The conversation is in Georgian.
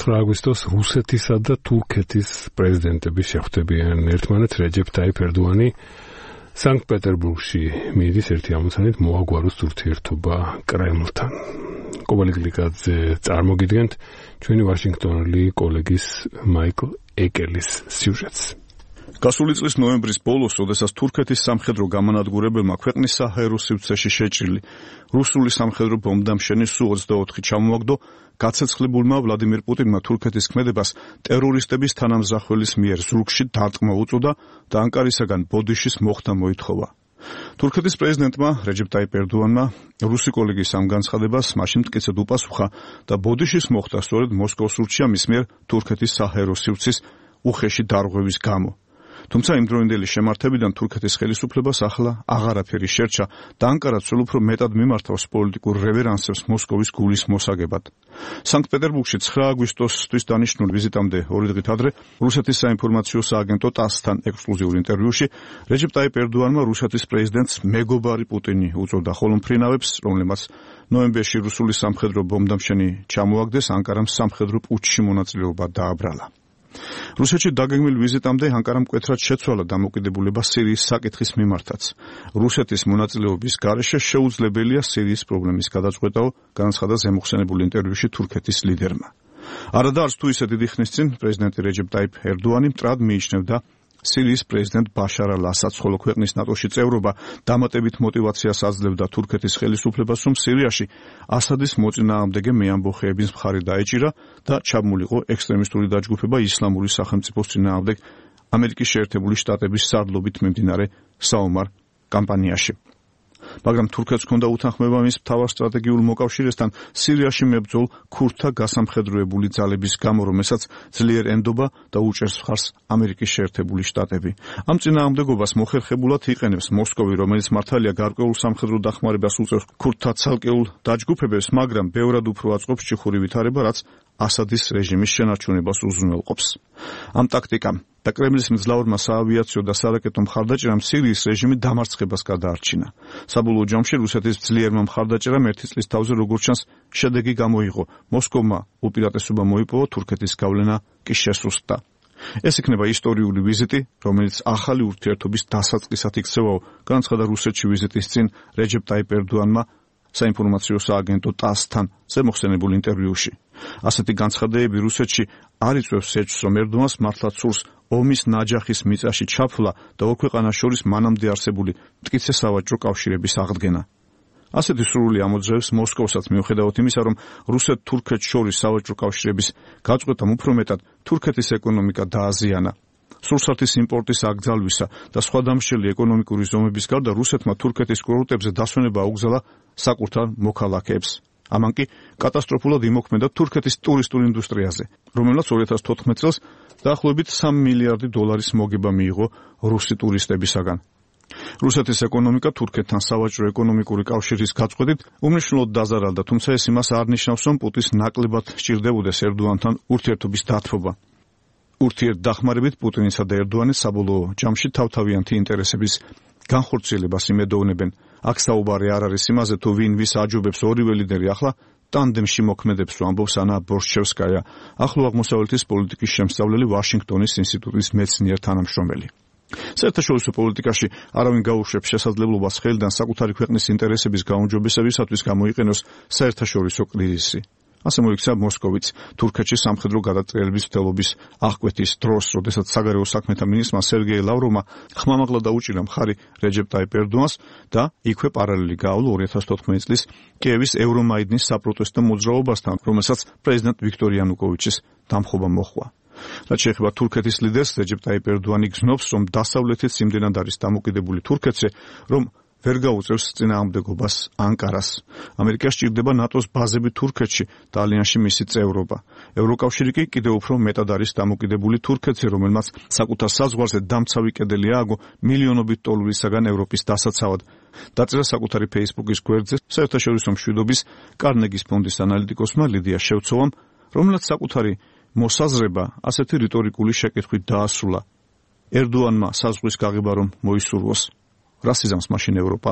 9 აგვისტოს რუსეთისა და თურქეთის პრეზიდენტები შეხვდებიან ერთმანეთს. რეჯეფ ტაიფ ერდოანი სანქტ-პეტერბურგში მიდის ერთი ამოცანით მოაგვაროს ურთიერთობა კრემლთან. კობალი გლიკაძე წარმოგიდგენთ ჩვენი ვაშინგტონელი კოლეგის მაიკლ ეკელის სიუჟეტს. გასული წლის ნოემბრის ბოლოს, როდესაც თურქეთის სამხედრო გამანადგურებელმა ქვეყნის საჰაერო სივრცეში შეჭრილი რუსული სამხედრო ბომბდამშენი Su-24 ჩამოაგდო, გაცეცხლებულმა ვლადიმირ პუტინმა თურქეთის ქმედებას ტერორისტების თანამზრახველის მიერ ზურგში დარტყმა უწოდა და ანკარისაგან ბოდიშის მოხდა მოითხოვა. თურქეთის პრეზიდენტმა რეჯეფ ტაიფ ერდოანმა რუსი კოლეგის ამ განცხადებას მაშინ მტკიცედ უპასუხა და ბოდიშის მოხდა სწორედ მოსკოვს ურჩია მის მიერ თურქეთის საჰაერო სივრცის უხეში დარღვევის გამო. თუმცა იმდროინდელი შემართებიდან თურქეთის ხელისუფლებას ახლა აღარაფერი შერჩა და ანკარა ცელ უფრო მეტად მიმართავს პოლიტიკურ რევერანსებს მოსკოვის გულის მოსაგებად. სანქტ-პეტერბურგში 9 აგვისტოსთვის დანიშნულ ვიზიტამდე 2 დღით ადრე რუსეთის საინფორმაციო სააგენტო TASS-თან ექსკლუზიურ ინტერვიუში რეჯეფ ტაიფ ერდოანმა რუსეთის პრეზიდენტს მეგობარი პუტინი უწოდა, ხოლო მფრინავებს, რომლებმაც ნოემბერში რუსული სამხედრო ბომბდამშენი ჩამოაგდეს, ანკარამ სამხედრო პუტჩში მონაწილეობა დააბრალა. რუსეთში დაგეგმილ ვიზიტამდე ანკარამ მკვეთრად შეცვალა დამოკიდებულება სირიის საკითხის მიმართაც. რუსეთის მონაწილეობის გარეშე შეუძლებელია სირიის პრობლემის გადაწყვეტაო, განაცხადა ზემოხსენებულ ინტერვიუში თურქეთის ლიდერმა. არადა არც თუ ისე დიდი ხნის წინ პრეზიდენტი რეჯეფ ტაიფ ერდოანი მტრად მიიჩნევდა სირიის პრეზიდენტ ბაშარ ალ-ასადს, ხოლო ქვეყნის ნატოში წევრობა დამატებით მოტივაციას აძლევდა თურქეთის ხელისუფლებას, რომ სირიაში ასადის მოწინააღმდეგე მეამბოხეების მხარი დაეჭირა და ჩაბმულიყო ექსტრემისტული დაჯგუფება ისლამური სახელმწიფოს წინააღმდეგ ამერიკის შეერთებული შტატების სარდლობით მიმდინარე საომარ კამპანიაში. მაგრამ თურქეთს ჰქონდა უთანხმოება მის მთავარ სტრატეგიულ მოკავშირესთან სირიაში მებრძოლ ქურთთა გასამხედროებული ძალების გამო, რომელსაც ძლიერ ენდობა და უჭერს მხარს ამერიკის შეერთებული შტატები. ამ წინააღმდეგობას მოხერხებულად იყენებს მოსკოვი, რომელიც მართალია გარკვეულ სამხედრო დახმარებას უწევს ქურთთა ცალკეულ დაჯგუფებებს, მაგრამ ბევრად უფრო აწყობს ჭიხური ვითარება, რაც ასადის რეჟიმის შენარჩუნებას უზრუნველყოფს. ამ ტაქტიკამ და კრემლის მძლავრმა საავიაციო და სარაკეტო მხარდაჭერამ სირიის რეჟიმი დამარცხებას გადაარჩინა. საბოლოო ჯამში რუსეთის ძლიერმა მხარდაჭერამ ერთი წლის თავზე როგორც ჩანს შედეგი გამოიღო. მოსკოვმა უპირატესობა მოიპოვა, თურქეთის გავლენა კი შესუსტდა. ეს იქნება ისტორიული ვიზიტი, რომელიც ახალი ურთიერთობის დასაწყისად იქცევაო, განაცხადა რუსეთში ვიზიტის წინ რეჯეფ ტაიფ ერდოანმა საინფორმაციო სააგენტო TASS-თან ზემოხსენებულ ინტერვიუში. ასეთი განცხადებები რუსეთში არ იწვევს ეჭვს, რომ ერდოანს მართლაც სურს ომის ნაჯახის მიწაში ჩაფლა და ორ ქვეყანას შორის მანამდე არსებული მტკიცე სავაჭრო კავშირების აღდგენა. ასეთი სურვილი ამოძრევს მოსკოვსაც, მიუხედავად იმისა, რომ რუსეთ-თურქეთს შორის სავაჭრო კავშირების გაწყვეტამ უფრო მეტად თურქეთის ეკონომიკა დააზიანა. სურსათის იმპორტის აკრძალვისა და სხვა დამსჯელი ეკონომიკური ზომების გარდა რუსეთმა თურქეთის კურორტებზე დასვენება აუგზალა საკუთარ მოქალაქეებს. ამან კი კატასტროფულად იმოქმედა თურქეთის ტურისტულ ინდუსტრიაზე, რომელსაც 2014 წელს დაახლოებით 3 მილიარდი დოლარის მოგება მიიღო რუსი ტურისტებისაგან. რუსეთის ეკონომიკა თურქეთთან სავაჭრო ეკონომიკური კავშირის გაწყვეტით უმნიშვნელოდ დაზარალდა, თუმცა ეს იმას არ ნიშნავს, რომ პუტინს ნაკლებად სჭირდებოდეს ერდოანთან ურთიერთობის დათბობა. ურთიერთდახმარებით პუტინისა და ერდოანის საბოლოო ჯამში თავთავიანთი ინტერესების განხორციელებას იმედოვნებენ. აქ საუბარი არ არის იმაზე, თუ ვინ ვის აჯობებს, ორივე ლიდერი ახლა ტანდემში მოქმედებს, ამბობს ანა ბორშჩევსკაია, ახლო აღმოსავლეთის პოლიტიკის შემსწავლელი ვაშინგტონის ინსტიტუტის მეცნიერ თანამშრომელი. საერთაშორისო პოლიტიკაში არავინ გაუშვებს შესაძლებლობას ხელიდან საკუთარი ქვეყნის ინტერესების გაუმჯობესებისათვის გამოიყენოს საერთაშორისო კრიზისი. ასე მოიქცა მოსკოვიც თურქეთში სამხედრო გადატრიალების მცდელობის აღკვეთის დროს, როდესაც საგარეო საქმეთა მინისტრმა სერგეი ლავროვმა ხმამაღლა დაუჭირა მხარი რეჯეფ ტაიფ ერდოანს და იქვე პარალელი გაავლო 2014 წლის კიევის ევრომაიდნის საპროტესტო მოძრაობასთან, რომელსაც პრეზიდენტ ვიქტორ იანუკოვიჩის დამხობა მოჰყვა. რაც შეეხება თურქეთის ლიდერს, რეჯეფ ტაიფ ერდოანი გრძნობს, რომ დასავლეთიც იმდენად არის დამოკიდებული თურქეთზე, რომ ვერ გაუწევს წინააღმდეგობას ანკარას. ამერიკას სჭირდება ნატოს ბაზები თურქეთში და ალიანსში მისი წევრობა. ევროკავშირი კი კიდევ უფრო მეტად არის დამოკიდებული თურქეთზე, რომელმაც საკუთარ საზღვარზე დამცავი კედელი ააგო მილიონობით დოლარისაგან ევროპის დასაცავად. დაწერა საკუთარი Facebook-ის გვერდზე საერთაშორისო მშვიდობის კარნეგის ფონდის ანალიტიკოსმა ლიდია შევცოვამ, რომელსაც საკუთარი მოსაზრება ასეთი რიტორიკული შეკითხვით დაასრულა. ერდოანმა საზღვრის გაღება რომ მოისურვოს. რას იზამს მაშინ ევროპა?